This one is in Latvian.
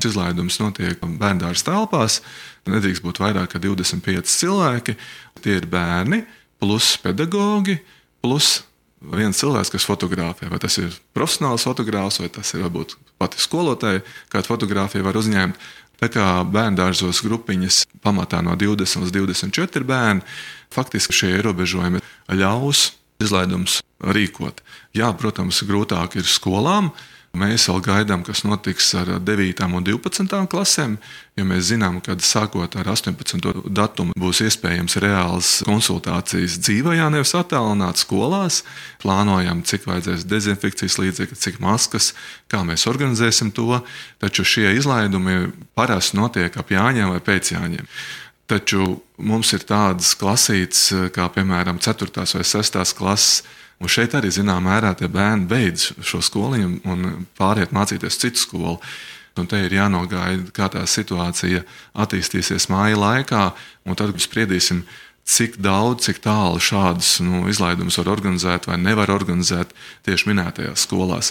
Izlaidums notiek bērndārzs telpās, nedrīkst būt vairāk kā 25 cilvēki. Tie ir bērni, plus pedagogi, plus viens cilvēks, kas fotografē. Vai tas ir profesionāls fotogrāfs, vai tas ir varbūt pati skolotāja, kāda fotografija var uzņemt. Tā kā bērndārzos grupiņas pamatā no 20 līdz 24 bērni, faktiski šie ierobežojumi ļaus izlaidums rīkot. Jā, protams, grūtāk ir skolām. Mēs vēl gaidām, kas notiks ar 9. un 12. klasēm, jo mēs zinām, ka sākot ar 18. datumu būs iespējams reāls konsultācijas dzīvajā, nevis attālināt skolās. Plānojam, cik vajadzēs dezinfekcijas līdzekļi, cik maskas, kā mēs organizēsim to, taču šie izlaidumi parasti notiek ap Jāņiem vai pēc Jāņiem. Taču mums ir tādas klasītes, kā piemēram 4. vai 6. klases, un šeit arī zināmā mērā tie bērni beidz šo skoliņu un pāriet mācīties citu skolu. Un te ir jānogaida, kā tā situācija attīstīsies māja laikā, un tad spriedīsim, cik daudz, cik tālu šādus izlaidumus var organizēt vai nevar organizēt tieši minētajās skolās.